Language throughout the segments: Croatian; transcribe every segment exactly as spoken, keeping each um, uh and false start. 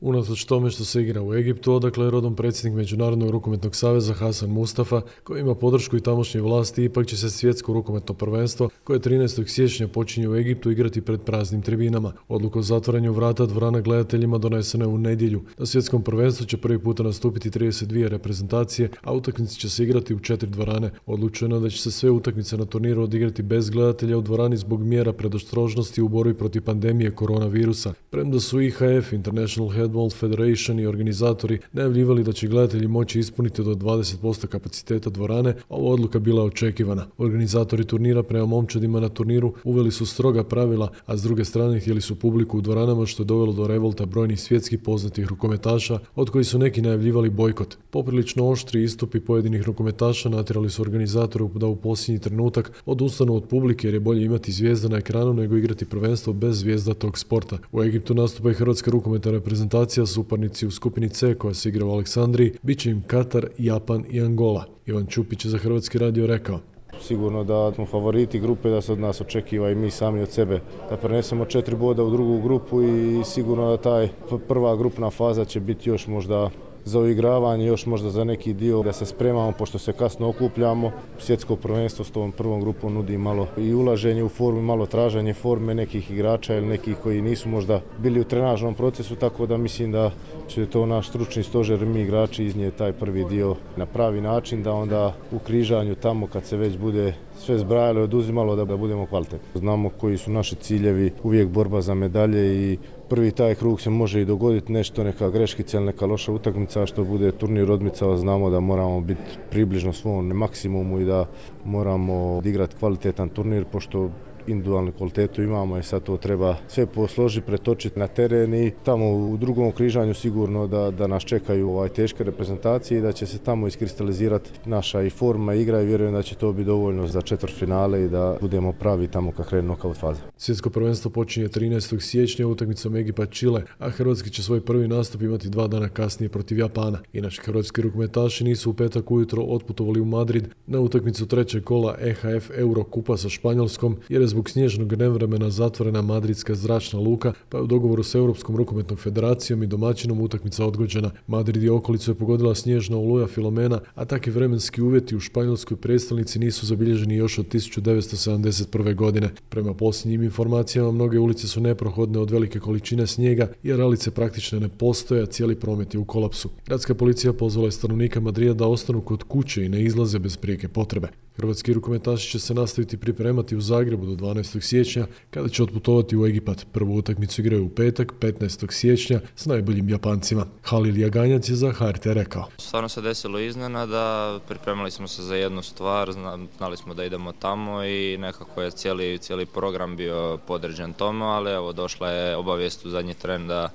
Unatoč tome što se igra u Egiptu, odakle je rodom predsjednik Međunarodnog rukometnog saveza Hasan Mustafa, koji ima podršku i tamošnje vlasti, ipak će se svjetsko rukometno prvenstvo, koje trinaestog siječnja počinje u Egiptu, igrati pred praznim tribinama. Odluka o zatvaranju vrata dvorana gledateljima donesena je u nedjelju. Na svjetskom prvenstvu će prvi puta nastupiti trideset dvije reprezentacije, a utakmice će se igrati u četiri dvorane. Odlučeno je da će se sve utakmice na turniru odigrati bez gledatelja u dvorani zbog mjera predostrožnosti u borbi protiv pandemije koronavirusa. Premda su I H F, International Handball Federation i organizatori najavljivali da će gledatelji moći ispuniti do dvadeset posto kapaciteta dvorane, ova odluka bila očekivana. Organizatori turnira prema momčadima na turniru uveli su stroga pravila, a s druge strane htjeli su publiku u dvoranama, što je dovelo do revolta brojnih svjetskih poznatih rukometaša, od kojih su neki najavljivali bojkot. Poprilično oštri istupi pojedinih rukometaša natjerali su organizatoru da u posljednji trenutak odustanu od publike, jer je bolje imati zvijezda na ekranu nego igrati prvenstvo bez zvijezda tog sporta. U Egiptu nastupa i hrvatska rukometna reprezentacija, suparnici u skupini C koja se igra u Aleksandriji, bit će im Katar, Japan i Angola. Ivan Čupić je za Hrvatski radio rekao: Sigurno da smo favoriti grupe, da se od nas očekiva i mi sami od sebe da prenesemo četiri boda u drugu grupu i sigurno da taj prva grupna faza će biti još možda za uigravanje, još možda za neki dio da se spremamo, pošto se kasno okupljamo. Svjetsko prvenstvo s tom prvom grupom nudi malo i ulaženje u formu, malo traženje forme nekih igrača ili nekih koji nisu možda bili u trenažnom procesu, tako da mislim da će to naš stručni stožer, mi igrači, iznijeti taj prvi dio na pravi način, da onda u križanju tamo kad se već bude sve zbrajalo i oduzimalo da budemo kvalitetni. Znamo koji su naši ciljevi, uvijek borba za medalje i prvi taj krug se može i dogoditi nešto, neka greškica ili neka loša utakmica, što bude turnir odmicao, znamo da moramo biti približno svom maksimumu i da moramo odigrati kvalitetan turnir, pošto individualnu kvalitetu imamo i sad to treba sve posložiti, pretočiti na teren i tamo u drugom križanju sigurno da, da nas čekaju ovaj teške reprezentacije i da će se tamo iskristalizirati naša i forma igra i vjerujem da će to biti dovoljno za četvrtfinale i da budemo pravi tamo kad krene nokaut faza. Svjetsko prvenstvo počinje trinaestog siječnja utakmicom Egipat-Čile, a hrvatski će svoj prvi nastup imati dva dana kasnije protiv Japana. Inače, hrvatski rukometaši nisu u petak ujutro otputovali u Madrid na utakmicu trećeg kola E H F Eurokupa sa Španjolskom, jer je zbog snježnog nevremena zatvorena madridska zračna luka, pa je u dogovoru s Europskom rukometnom federacijom i domaćinom utakmica odgođena. Madrid i okolicu je pogodila snježna oluja Filomena, a takvi vremenski uvjeti u španjolskoj prijestolnici nisu zabilježeni još od tisuću devetsto sedamdeset prve. godine. Prema posljednjim informacijama, mnoge ulice su neprohodne od velike količine snijega, jer ralice praktično ne postoje, a cijeli promet je u kolapsu. Gradska policija pozvala je stanovnika Madrida da ostanu kod kuće i ne izlaze bez prijeke potrebe. Hrvatski rukometaši će se nastaviti pripremati u Zagrebu do dvanaestog siječnja, kada će otputovati u Egipat. Prvu utakmicu igraju u petak, petnaestog siječnja, s najboljim Japancima. Halil Jaganjac je za H R T rekao: Stvarno se desilo iznenada, pripremali smo se za jednu stvar, znali smo da idemo tamo i nekako je cijeli, cijeli program bio podređen tome, ali evo došla je obavijest u zadnji tren da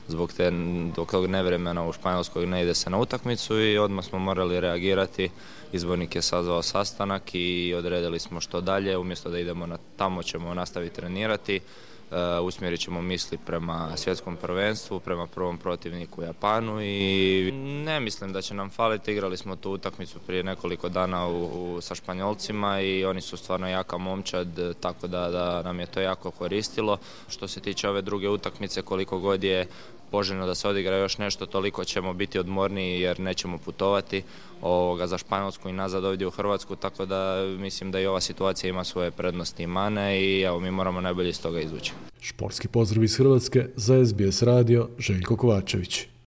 zbog te, tog nevremena u Španjolskoj ne ide se na utakmicu i odmah smo morali reagirati. Izbornik je sazvao sastanak i odredili smo što dalje, umjesto da idemo na, tamo ćemo nastaviti trenirati. Uh, usmjerit ćemo misli prema svjetskom prvenstvu, prema prvom protivniku Japanu i ne mislim da će nam faliti. Igrali smo tu utakmicu prije nekoliko dana u, u, sa Španjolcima i oni su stvarno jaka momčad, tako da, da nam je to jako koristilo. Što se tiče ove druge utakmice, koliko god je poželjno da se odigra još nešto, toliko ćemo biti odmorniji jer nećemo putovati ovoga, za Španjolsku i nazad ovdje u Hrvatsku, tako da mislim da i ova situacija ima svoje prednosti i mane i evo, mi moramo najbolje iz toga izvući. Športski pozdrav iz Hrvatske za S B S radio, Željko Kovačević.